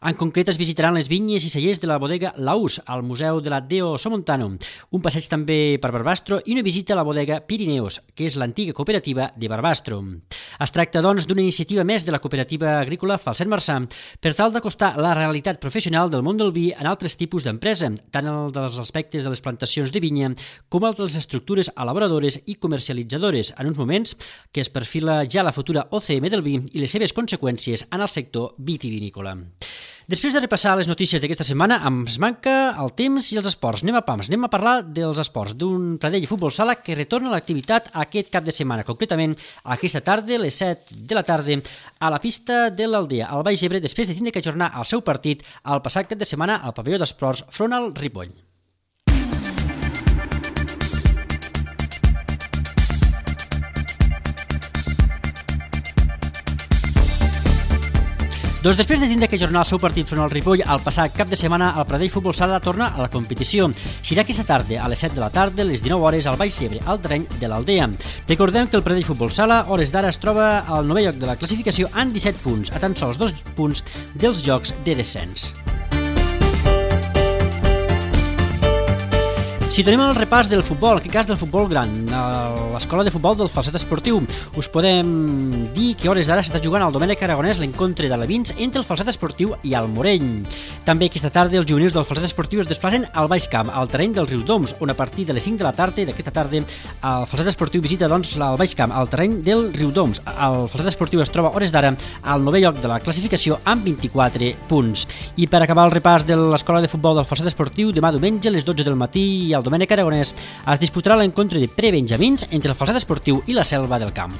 [SPEAKER 2] En concret es visitaran les vinyes i cellers de la bodega Laús al Museu de la Deo Somontano, un passeig també per Barbastro i una visita a la bodega Pirineus, que és l'antiga cooperativa de Barbastro. Es tracta, doncs, d'una iniciativa més de la cooperativa agrícola Falset Marçà per tal d'acostar la realitat professional del món del vi en altres tipus d'empresa, tant el dels aspectes de les plantacions de vinya com el de les estructures elaboradores i comercialitzadores, en uns moments que es perfila ja la futura O C M del vi i les seves conseqüències en el sector vitivinícola. Després de repassar les notícies d'aquesta setmana, ens manca el temps i els esports. Anem a pams, anem a parlar dels esports, d'un Pradell Futbol Sala que retorna a l'activitat aquest cap de setmana, concretament aquesta tarda, a les set de la tarda, a la pista de l'Aldea, al Baix Ebre, després de tindre que ajornar el seu partit el passat cap de setmana al pavelló d'esports front al Ripoll. Doncs després de tindre que ajornar el seu partit front al Ripoll el passat cap de setmana, el Pradell Futbol Sala torna a la competició. Serà aquesta tarda, a les set de la tarda, a les dinou hores, al Baix Ebre, al terreny de l'Aldea. Recordem que el Pradell Futbol Sala, a hores d'ara, es troba al novè lloc de la classificació amb disset punts, a tan sols dos punts dels jocs de descens. Si tenim el repàs del futbol, en aquest cas del futbol gran, a l'escola de futbol del Falset Esportiu, us podem dir que a hores d'ara s'està jugant al Domènec Aragonès l'encontre d'alevins entre el Falset Esportiu i el Morell. També aquesta tarda els juvenils del Falset Esportiu es desplacen al Baix Camp, al terreny del Riudoms, on a partir de les cinc de la tarda d'aquesta tarda el Falset Esportiu visita doncs el Baix Camp, al terreny del Riudoms. El Falset Esportiu es troba a hores d'ara al novè lloc de la classificació amb vint-i-quatre punts. I per acabar el repàs de l'escola de futbol del Falset Esportiu, demà diumenge a les dotze del matí i al Domènec Aragonès es disputarà l'encontre de prebenjamins entre el Falset Esportiu i la Selva del Camp.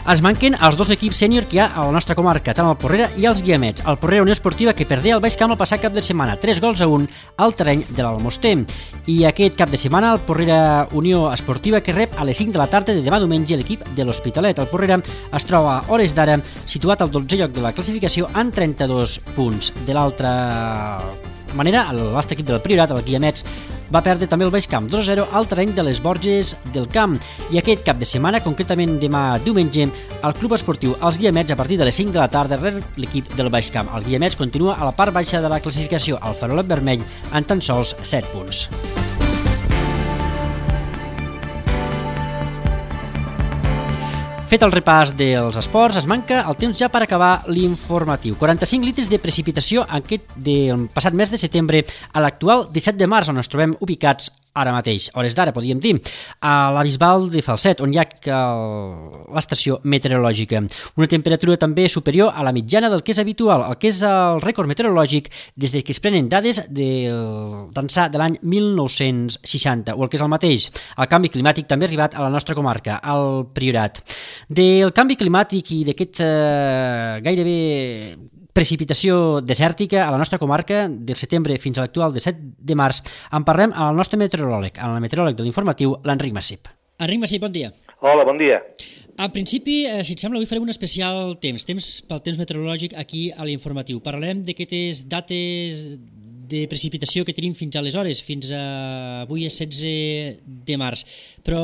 [SPEAKER 2] Es manquen els dos equips sènior que hi ha a la nostra comarca, tant el Porrera i els Guiamets. El Porrera Unió Esportiva, que perdé al Baix Camp el passat cap de setmana, tres gols a un al terreny de l'Almoster. I aquest cap de setmana el Porrera Unió Esportiva, que rep a les cinc de la tarda de demà diumenge l'equip de l'Hospitalet. El Porrera es troba a hores d'ara situat al dotzè lloc de la classificació amb trenta-dos punts. De l'altra manera, l'altre equip del Priorat, el Guiamets, va perdre també el Baix Camp dos a zero al terreny de les Borges del Camp. I aquest cap de setmana, concretament demà diumenge, el Club Esportiu Els Guiamets, a partir de les cinc de la tarda, rep l'equip del Baix Camp. El Guiamets continua a la part baixa de la classificació, al farolet vermell, amb tan sols set punts. Fet el repàs dels esports, es manca el temps ja per acabar l'informatiu. quaranta-cinc litres de precipitació aquest del passat mes de setembre a l'actual disset de març, on ens trobem ubicats ara mateix, hores d'ara, podríem dir, a la Bisbal de Falset, on hi ha l'estació meteorològica. Una temperatura també superior a la mitjana del que és habitual, el que és el rècord meteorològic des que es prenen dades d'ençà de l'any mil nou-cents seixanta, o el que és el mateix, el canvi climàtic també ha arribat a la nostra comarca, al Priorat. Del canvi climàtic i d'aquest eh, gairebé precipitació desèrtica a la nostra comarca del setembre fins a l'actual disset de març, en parlem amb el nostre meteoròleg, amb el meteoròleg de l'informatiu, l'Enric Massip. Enric Massip, bon dia.
[SPEAKER 8] Hola, bon dia.
[SPEAKER 2] Al principi, eh, si et sembla, avui farem un especial temps, temps pel temps meteorològic aquí a l'informatiu. Parlarem d'aquestes dates de precipitació que tenim fins aleshores, fins a avui és setze de març. Però,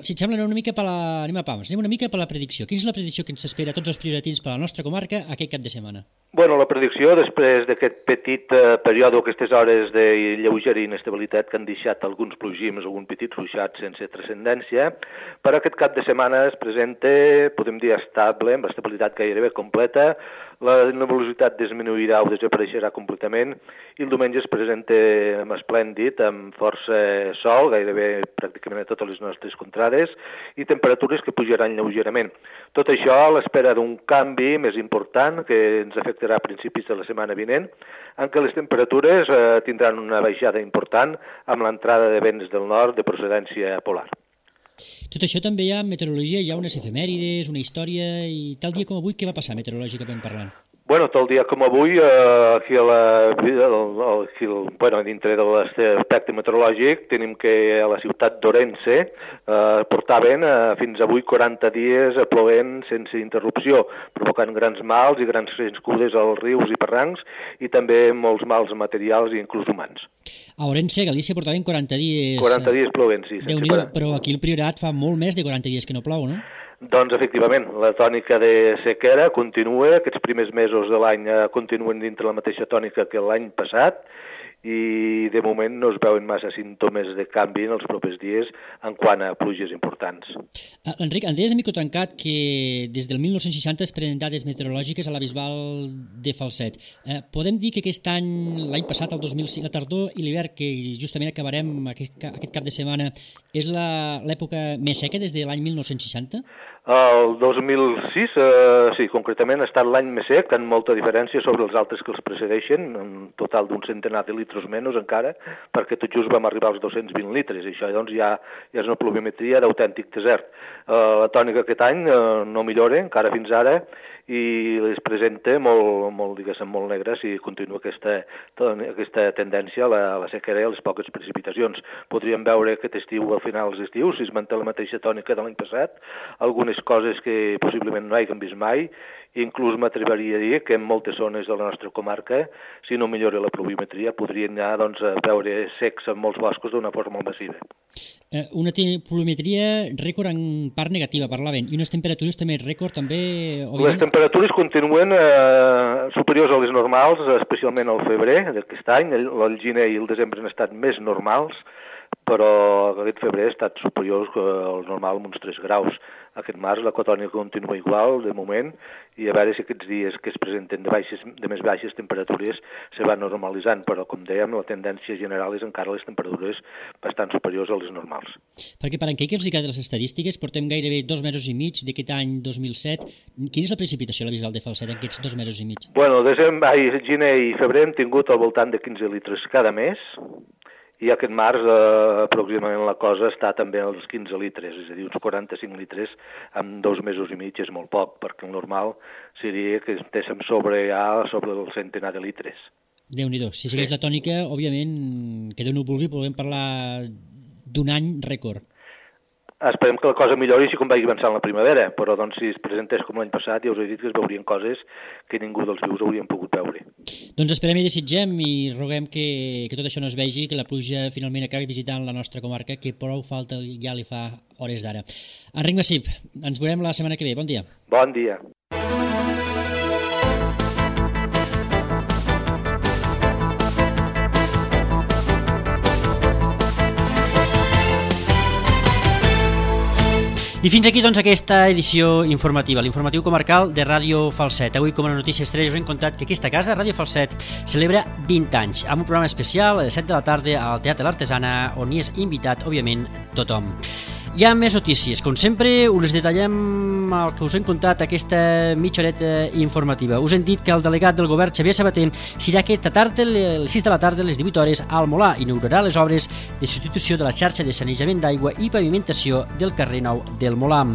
[SPEAKER 2] si et sembla, anem una mica per la... anem a pams, anem una mica per la predicció. Quina és la predicció que ens espera a tots els prioratins per a la nostra comarca aquest cap de setmana?
[SPEAKER 8] Bueno, la predicció, després d'aquest petit eh, període, aquestes hores de lleugera inestabilitat que han deixat alguns plogims, algun petit ruixat sense transcendència, per aquest cap de setmana es presenta, podem dir, estable, amb estabilitat gairebé completa, la nebulositat disminuirà o desapareixerà completament i el diumenge es presenta amb esplèndid, amb força sol, gairebé pràcticament a totes les nostres contrades, i temperatures que pujaran lleugerament. Tot això a l'espera d'un canvi més important que ens afectarà a principis de la setmana vinent, en què les temperatures eh, tindran una baixada important amb l'entrada de vents del nord de procedència polar.
[SPEAKER 2] Tot això també hi ha meteorologia, hi ha unes efemèrides, una història, i tal dia com avui, què va passar meteorològicament parlant?
[SPEAKER 8] Bueno, tal dia com avui, eh, aquí, a la, el, aquí el, bueno, dintre de l'aspecte meteorològic, tenim que a la ciutat d'Orense eh, portaven eh, fins avui quaranta dies plovent sense interrupció, provocant grans mals i grans crescudes als rius i barrancs i també molts mals materials i inclús humans.
[SPEAKER 2] A Orense, Galícia, portaven quaranta dies...
[SPEAKER 8] quaranta dies plovent, sí.
[SPEAKER 2] Déu-n'hi-do, però aquí el Priorat fa molt més de quaranta dies que no plou, no?
[SPEAKER 8] Doncs, efectivament, la tònica de sequera continua, aquests primers mesos de l'any continuen dintre la mateixa tònica que l'any passat i de moment no es veuen massa símptomes de canvi en els propers dies en quant a pluges importants.
[SPEAKER 2] Uh, Enric, em deies a mico trencat que des del mil nou-cents seixanta es prenen dades meteorològiques a la Bisbal de Falset. Uh, podem dir que aquest any, l'any passat, el dos mil cinc, la tardor i l'hivern, que justament acabarem aquest, aquest cap de setmana, és l'època més seca des de l'any mil nou-cents seixanta?
[SPEAKER 8] El dos mil sis, eh, sí, concretament ha estat l'any més sec, amb molta diferència sobre els altres que els precedeixen, un total d'un centenar de litres menys encara, perquè tot just vam arribar als dos-cents vint litres, i això doncs ja, ja és una pluviometria d'autèntic desert. Eh, la tònica aquest any eh, no millora, encara fins ara, i es presenta molt, molt, diguéssim, molt negre si continua aquesta, aquesta tendència a la, a la sequera i a les poques precipitacions. Podríem veure aquest estiu, al final dels estius, si es manté la mateixa tònica de l'any passat, algunes coses que possiblement no hàgim vist mai, inclús m'atreviria a dir que en moltes zones de la nostra comarca, si no millora la pluviometria, podrien anar doncs, a veure secs en molts boscos d'una forma massiva.
[SPEAKER 2] Eh, una pluviometria rècord en part negativa, parlaven, i unes temperatures també rècord també...
[SPEAKER 8] Les temperatures temperatures continuen eh, superiors a les normals, especialment al febrer d'aquest any. El, el gener i el desembre han estat més normals, però aquest febrer ha estat superior al normal amb uns tres graus. Aquest març la cotònica continua igual, de moment, i a veure si aquests dies que es presenten de, baixes, de més baixes temperatures se van normalitzant, però com dèiem, la tendència general és encara les temperatures bastant superiors a les normals.
[SPEAKER 2] Perquè per encara que els hi queden les estadístiques, portem gairebé dos mesos i mig d'aquest any dos mil set. Quina és la precipitació a la Bisbal de Falset en aquests dos mesos i mig?
[SPEAKER 8] Bueno, desembre, ai, gener i febrer hem tingut al voltant de quinze litres cada mes, i aquest març eh, aproximadament la cosa està també als quinze litres, és a dir, uns quaranta-cinc litres en dos mesos i mig és molt poc, perquè el normal seria que estéssim sobre ja sobre el centenar de litres.
[SPEAKER 2] Déu-n'hi-do, si segueix sí. La tònica, òbviament, que Déu no ho vulgui, podem parlar d'un any rècord.
[SPEAKER 8] Esperem que la cosa millori així com vagi avançant la primavera, però doncs, si es presentés com l'any passat ja us he dit que es veurien coses que ningú dels vius haurien pogut veure.
[SPEAKER 2] Doncs esperem i desitgem i roguem que, que tot això no es vegi, que la pluja finalment acabi visitant la nostra comarca, que prou falta ja li fa hores d'ara. Enric Massip, ens veurem la setmana que ve. Bon dia.
[SPEAKER 8] Bon dia.
[SPEAKER 2] I fins aquí doncs aquesta edició informativa, l'informatiu comarcal de Ràdio Falset. Avui, com a notícia estrella, us hem contat que aquesta casa, Ràdio Falset, celebra vint anys, amb un programa especial a les set de la tarda al Teatre L'Artesana, on hi és invitat, òbviament, tothom. Hi ha més notícies, com sempre us les detallem el que us hem contat aquesta mitja horeta informativa. Us hem dit que el delegat del govern, Xavier Sabater, serà aquesta tarda, a les sis de la tarda, a les divuit hores, al Molar, inaugurarà les obres de substitució de la xarxa de sanejament d'aigua i pavimentació del carrer Nou del Molar.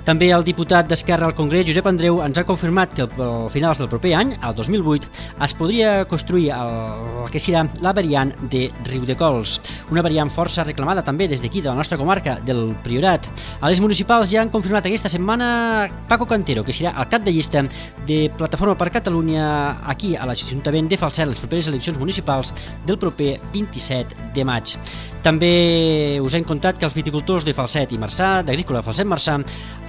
[SPEAKER 2] També el diputat d'Esquerra al Congrés, Josep Andreu, ens ha confirmat que al finals del proper any, al dos mil vuit, es podria construir el que serà la variant de Riudecols, una variant força reclamada també des d'aquí, de la nostra comarca, del Priorat. A les municipals ja han confirmat aquesta setmana Paco Cantero, que serà el cap de llista de Plataforma per Catalunya aquí a l'Ajuntament de Falset, les properes eleccions municipals del proper vint-i-set de maig. També us hem contat que els viticultors de Falset i Marçà, d'Agrícola Falset-Marçà,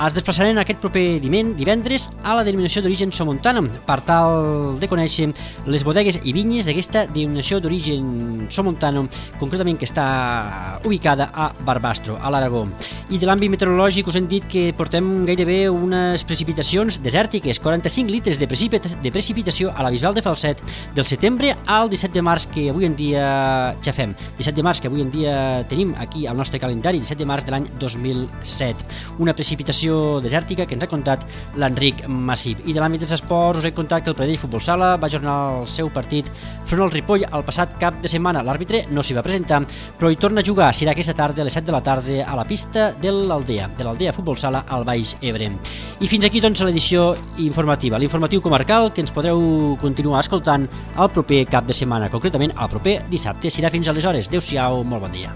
[SPEAKER 2] es desplaçaran aquest proper divendres a la denominació d'origen somontana per tal de conèixer les bodegues i vinyes d'aquesta denominació d'origen somontana, concretament que està ubicada a Barbastro, a l'Aragó. I de l'àmbit meteorològic us hem dit que portem gairebé unes precipitacions desèrtiques, quaranta-cinc litres de, precipita de precipitació a la Bisbal de Falset del setembre al disset de març que avui en dia ja fem. disset de març que avui en dia tenim aquí al nostre calendari, disset de març de l'any dos mil set. Una precipitació desèrtica que ens ha contat l'Enric Massip. I de l'àmbit dels esports us he contat que el Pradell Futbol Sala va ajornar el seu partit front al Ripoll el passat cap de setmana. L'àrbitre no s'hi va presentar, però hi torna a jugar. Serà aquesta tarda a les set de la tarda a la pista de l'Aldea, de l'Aldea Futbol Sala al Baix Ebre. I fins aquí doncs l'edició informativa, l'informatiu comarcal que ens podreu continuar escoltant el proper cap de setmana, concretament el proper dissabte. Serà fins aleshores. Adéu-siau, molt bon dia.